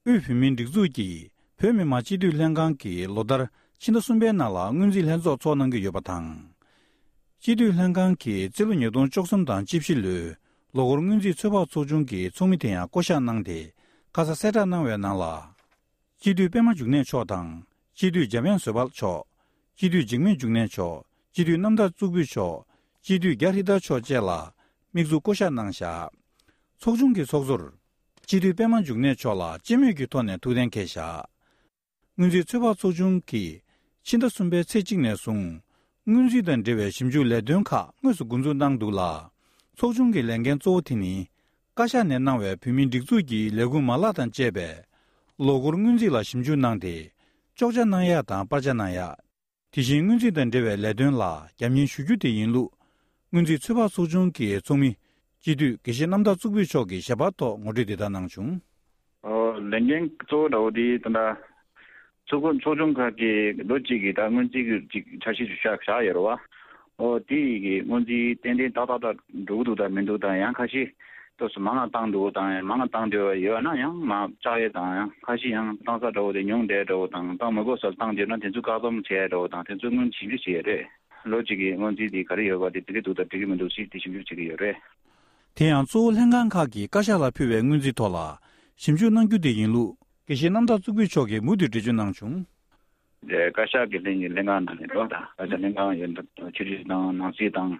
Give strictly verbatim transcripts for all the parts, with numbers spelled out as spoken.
དབུས་བོད་མིའི་སྒྲིག་འཛུགས་ཀྱིས་བོད་མི་མང་སྤྱི་འཐུས་ལྷན་ཁང་གིས་ལོ་ལྟར་ཕྱི་ཟླ་གསུམ་པའི་ནང་ལ་སྔོན་རྩིས་ལྷན་ཚོགས་འཚོགས་གནང་གི་ཡོད་པ་དང་། སྤྱི་འཐུས་ལྷན་ཁང་གིས་རྩིས་ལོ་ཉིས་སྟོང་བཅུ་གསུམ་དང་བཅུ་བཞི་ལོའི་ལོ་འཁོར་སྔོན་རྩིས་ཚོད་དཔག་ཚོགས་ཆུང་གི་ཚོགས་མི་དེ་ཡང་བསྐོ་གཞག་གནང་སྟེ། ཁ་ས་གསལ་བསྒྲགས་གནང་བའི་ནང་ལ། སྤྱི་འཐུས་པད་མ་འབྱུང་གནས་མཆོག་དང་། སྤྱི་འཐུས་འཇམ་དབྱངས་བཟོད་དཔལ་མཆོག་སྤྱི་འཐུས་འཇིགས་མེད་འབྱུང་གནས་མཆོག་སྤྱི་འཐུས་རྣམ་དག་གཙུག་ཕུད་མཆོག་སྤྱི་འཐུས་རྒྱ་ཧྲི་ཏ་མཆོག་བཅས་ལ་དམིགས་འཛུགས་བསྐོ་གཞག་གནང་བཞག་ཚོགས་ཆུང་གི་ཚོགས་གཙོར། སྤྱི་འཐུས་པད་མ་འབྱུང་གནས་མཆོག་ལ་སྤྱི་མོས་ཀྱི་ཐོག་ནས་ཐུགས་གཏན་འཁེལ་བཞག་སྔོན་རྩིས་ཚོད་དཔག་ཚོགས་ཆུང་གིས་ཕྱི་ཟླ་གསུམ་པའི་ཚེས་གཅིག་ནས་བཟུང་། སྔོན་རྩིས་དང་འབྲེལ་བའི་ཞིབ་འཇུག་ལས་དོན་ཁག་དངོས་སུ་འགོ་འཛུགས་གནང་འདུག་ལ། ཚོགས་ཆུང་གི་ལས་འགན་གཙོ་བོ་དེ་ནི། བཀའ་ཤག་ནས་གནང་བའི་བོད་མིའི་སྒྲིག་འཛུགས་ཀྱི་ལས་ཁུངས་མ་ལག་དང་བཅས་པའི་ལོ་འཁོར་སྔོན་རྩིས་ལ་ཞིབ་འཇུག་གནང་སྟེ། གཅོག་ཆ་གནང་ཡག་དང་སྤར་ཆ་གནང་ཡག་དེ་བཞིན་སྔོན་རྩིས་དང་འབྲེལ་བའི་ལས་དོན་ལ་རྒྱབ་གཉེར་ཞུ་རྒྱུ་དེ་ཡིན་ལུགས། སྔོན་རྩིས་ཚོད་དཔག་ཚོགས་ཆུང་གི་ཚོགས་མི་སྤྱི་འཐུས་དགེ་བཤེས་རྣམ་དག་གཙུག་ཕུད་མཆོག་གིས་ཞལ་པར་ཐོག་ངོ་སྤྲོད་འདི་ལྟར་གནང་བྱུང་། ཨོ། ལས་འགན་གཙོ་བོ་འདྲ་བོ་དེ་ད་ལྟ་ཚོགས་ཁོངས་ཚོགས་ཆུང་ཁག་གིས་ལོ་གཅིག་གི་ད་སྔོན་རྩིས་ཀྱི་ཅིག་འཆར་གཞི་ཞིག་བཞག་བཞག་ཡོད་རེད་བ། ཨོ། དེ་ཡི་གི་སྔོན་རྩིས་ཏན་ཏན་ཏག་ཏག་ཏག་འགྲོ་གི་འདུག་དང་མི་འདུག་དང་ཡང་ཁ་ཤས་ཏོག་ཙམ་མང་ང་བཏང་འདུག་དང་མང་ང་བཏང་འདོད་ཡོད་ན་ཡང་མ་བཅག་ཡས་དང་ཡང་ཁ་ཤས་ཡང་བཏང་ས་འདྲ་བོ་དེ་ཉུང་བསྡད་འདྲ་བོ་དང་བཏང་མི་དགོས་ས་བཏང་འདོད་ན་དེ་ཚོ་བཀག་སྡོམ་བྱས་འདྲ་བོ་དང་དེ་ཚོ་སྔོན་ཞིབ་འཇུག་བྱས་ཡོད་རེད། ལོ་གཅིག་གི་སྔོན་རྩིས་དེ་ག་རེ་ཡོད་པ་དེ་འགྲིག་གི་འདུག་དང་འགྲིག་གི་མི་འདུག་ཞེས་དེ་ཞིབ་འཇུག་བྱེད་ཀྱི་ཡོད་རེད། དེ་ཡང་གཙོ་བོ་ལྷན་ཁང་ཁག་གིས་བཀའ་ཤག་ལ་ཕུལ་བའི་སྔོན་རྩིས་ཐོག་ལ་ཞིབ་འཇུག་གནང་རྒྱུ་དེ་ཡིན་ལུགས། དགེ་བཤེས་རྣམ་དག་གཙུག་ཕུད་མཆོག་གིས་མུ་མཐུད་འགྲེལ་བརྗོད་གནང་བྱུང་། བཀའ་ཤག་གི་ལྷན་གྱི་ལྷན་ཁང་ནང་ནས་འགྲོ་དང་བཀའ་ཤག་ལྷན་ཁང་ཡོད་ཆོས་རིག་དང་ནང་སྲིད་དང་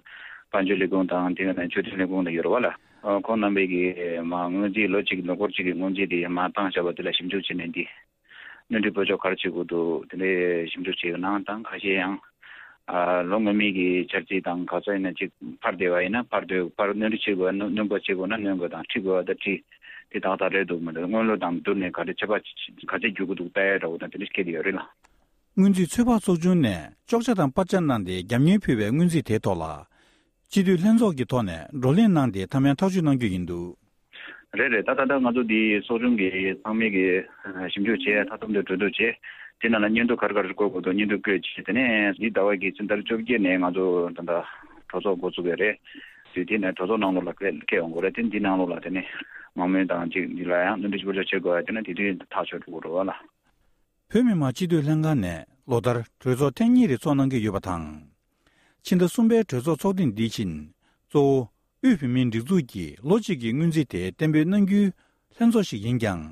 དཔལ་འབྱོར་ལས་ཁུངས་དང་དེ་ག་ནས་ཆོས་དོན་ལས་ཁུངས་ལ་ཡོད་རེད་བ་ལ། ཁོང་རྣམ་པས་ཀྱི་མ་སྔོན་རྩིས་ལོ་གཅིག་ལོ་འཁོར་གཅིག་གི་སྔོན་རྩིས་དེ་མ་བཏང་བཞག་པ་དེ་ལ་ཞིབ་འཇུག་བྱས་ནས་འདི། སྣོན་འཕྲི་སྤོ་ཆོག་ག་རེ་བྱེད་དགོས་འདུག་དེ་འདྲའི་ཞིབ་འཇུག་བྱས་ཡོད་ནའང་དང་ཁ་ཤས་ཡང་། ལོ་སྔོན་མའི་གི་འཆར་རྩིས་དང་ག་ཚོད་ཡིན་ན་ཅིག་ཕར་བསྡད་པ་ཡིན་ན་ཕར་སྡོད་ཕར་སྣོན་འཕྲི་བྱེད་དགོས་ན་སྣོན་པ་བྱེད་དགོས་ན་སྣོན་དགོས་དང་ཁྲིད་དགོས་པ་དང་ཁྲིད་དེ་ཏག་ཏག་རེད་འདུག་མི་འདུག་སྔོན་ལོ་དང་བསྡུར་ནས་ག་རེ་ཆད་པ་ག་ཚད་རྒྱུག་གི་འདུག་ལྟ་ཡ་འདྲ་བོ་དང་དེ་འདྲ་ཞིག་སྐད་དེ་ཡོད་རེད་ལ། སྔོན་རྩིས་ཚོད་དཔག་ཚོགས་ཆུང་ནས་གཅོག་ཆ་དང་སྤར་ཆ་གནང་སྟེ་རྒྱབ་གཉེར་ཕུལ་བའི་སྔོན་རྩིས་དེའི་ཐོག་ལ། སྤྱི་འཐུས་ལྷན་ཚོགས་ཀྱི་ཐོག་ནས་བགྲོ་གླེང་གནང་སྟེ་མཐའ་མའི་ཐག་གཅོད་གནང་རྒྱུ་ཡིན་འདུག་རེད་རེད། ད་ད་ལྟ་ང་ཚོ་འདི་ཚོགས་ཆུང་གི་ཚང་མས་ཀྱི་ཞིབ་འཇུག་བྱས་མཐའ་སྡོམ་དེ་གྲོས་བསྡུར་བྱས་དེ་ནང་ལ་སྙན་ཐོ་ག་རེ་ག་རེ་བཀོད་དགོས་འདུག་སྙན་ཐོ་བཀོད་བྱས་དེ་ནས་འདི་ཟླ་བ་གི་ཕྱི་ཟླ་བཅོ་བརྒྱད་ནས་ང་ཚོ་ད་ལྟ་གྲོས་ཚོགས་འགོ་བཙུགས་པ་རེད། དུས་དེ་ནས་གྲོས་ཚོགས་ནང་ལོགས་ལ་སླེབས་སླེབས་ཡོང་དགོས་རེད། དེ་འདི་ནང་ལོགས་ལ་དེ་ནས་མང་མོས་དང་ཅིག་འདི་ལ་ཡང་སྣོན་འཕྲི་ཞིབ་འཇུག་བྱེད་དགོས་ཡ་དེ་ནས་དེ་དུས་ཐག་ཆོད་འགྲོ་གི་རེད་བ་ལ། བོད་མི་མང་སྤྱི་འཐུས་ལྷན་ཁང་ནས་ལོ་ལྟར་གྲོས་ཚོགས་ཐེངས་གཉིས་རེ་ཚོགས་གནང་གི་ཡོད་པ་དང་། ཕྱི་ཟླ་གསུམ་པའི་གྲོས་ཚོགས་ཚོགས་ཐེངས་འདིའི་ཆེད་གཙོ་བོ་དབུས་བོད་མིའི་སྒྲིག་འཛུགས་ཀྱི་ལོ་གཅིག་གི་སྔོན་རྩིས་དེ་གཏན་འབེབས་གནང་རྒྱུའི་ལྷན་ཚོགས་ཤིག་ཡིན་ཀྱང་།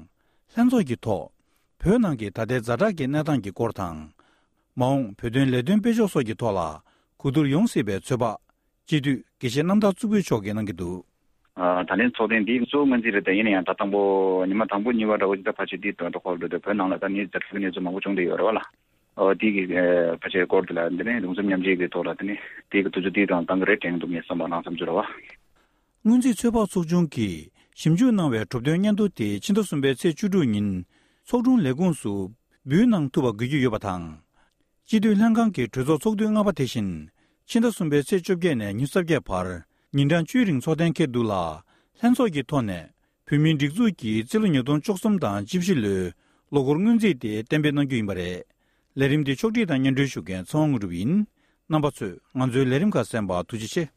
ལྷན་ཚོགས་ཀྱི་ཐོག་བོད་ནང་གི་ད་ལྟའི་ཛ་དྲག་གི་གནས་སྟངས་ཀྱི་སྐོར་དང་། མ་འོངས་བོད་དོན་ལས་དོན་སྤེལ་ཕྱོགས་སོགས་ཀྱི་ཐོག་ལ་གོ་བསྡུར་ཡོང་སྲིད་པའི་ཚོད་དཔག་སྤྱི་འཐུས་དགེ་བཤེས་རྣམ་དག་གཙུག་ཕུད་མཆོག་གིས་གནང་གི་འདུག་ད་ལན་ཚོགས་ཐེངས་འདི་གཙོ་བོ་སྔོན་རྩིས་རེད། ད་ཡིན་ན་ཡང་ད་དང་པོ་ཉི་མ་དང་པོ་གཉིས་པ་འདྲ་བོ་ཅིག་ད་ཕལ་ཆེར་འདི་ད་ད་ཁོར་འདུག་དེ་བོད་ནང་ལ་ད་ནི་ཛ་དྲག་གི་གནས་ཚུལ་མང་པོ་བྱུང་བསྡད་ཡོད་རེད་བ་ལ། ཨོ་དེ་གི་ཕལ་ཆེར་སྐོར་དེ་ལ་འདི་ནས་གདུང་སེམས་མཉམ་སྐྱེད་ཀྱི་ཐོག་ལ་དེ་ནས་དེ་གི་དུས་ཚོད་དེ་དང་བཏང་གི་རེད་དྲན་འདུག་ངས་བསམ་པ་ལང་བསམ་ཚུལ་རེད་བ། སྔོན་རྩིས་ཚོད་དཔག་ཚོགས་ཆུང་གིས་ཞིབ་འཇུག་གནང་བའི་གྲུབ་དོན་སྙན་ཐོ་དེ་ཕྱི་ཟླ་གསུམ་པའི་ཚེས་བཅུ་དྲུག་ཉིན་ཚོགས་དྲུང་ལས་ཁུངས་སུ་འབུལ་གནང་ཐུབ་པ་དགོས་ཀྱི་ཡོད་པ་དང་། སྤྱི་འཐུས་ལྷན་ཁང་གི་གྲོས་ཚོགས་ཚོགས་དུས་ལྔ་པ་དེ་བཞིན་ཕྱི་ཟླ་གསུམ་པའི་ཚེས་བཅོ་བརྒྱད་ནས་ཉི་ཤུ་རྩ་བརྒྱད་བར་ཉིན་གྲངས་བཅུའི་རིང་ཚོགས་གཏན་འཁེལ་འདུག་ལ། ལྷན་ཚོགས་ཀྱི་ཐོག་ནས་བོད་མིའི་སྒྲིག་འཛུགས་ཀྱི་རྩིས་ལོ་ཉིས་སྟོང་བཅུ་གསུམ་དང་བཅུ་བཞི་ལོའི་ལོ་འཁོར་སྔོན་རྩིས་དེ་གཏན་འབེབས་གནང་རྒྱུ་ཡིན་པ་རེད། ལས་རིམ་འདི་ཕྱོགས་སྒྲིག་དང་སྙན་སྒྲོན་ཞུ་མཁན་ཚེ་དབང་དངོས་གྲུབ་ཡིན། རྣམ་པ་ཚོས་ང་ཚོའི་ལས་རིམ་ཁག་གསན་པར་ཐུགས་རྗེ་ཆེ།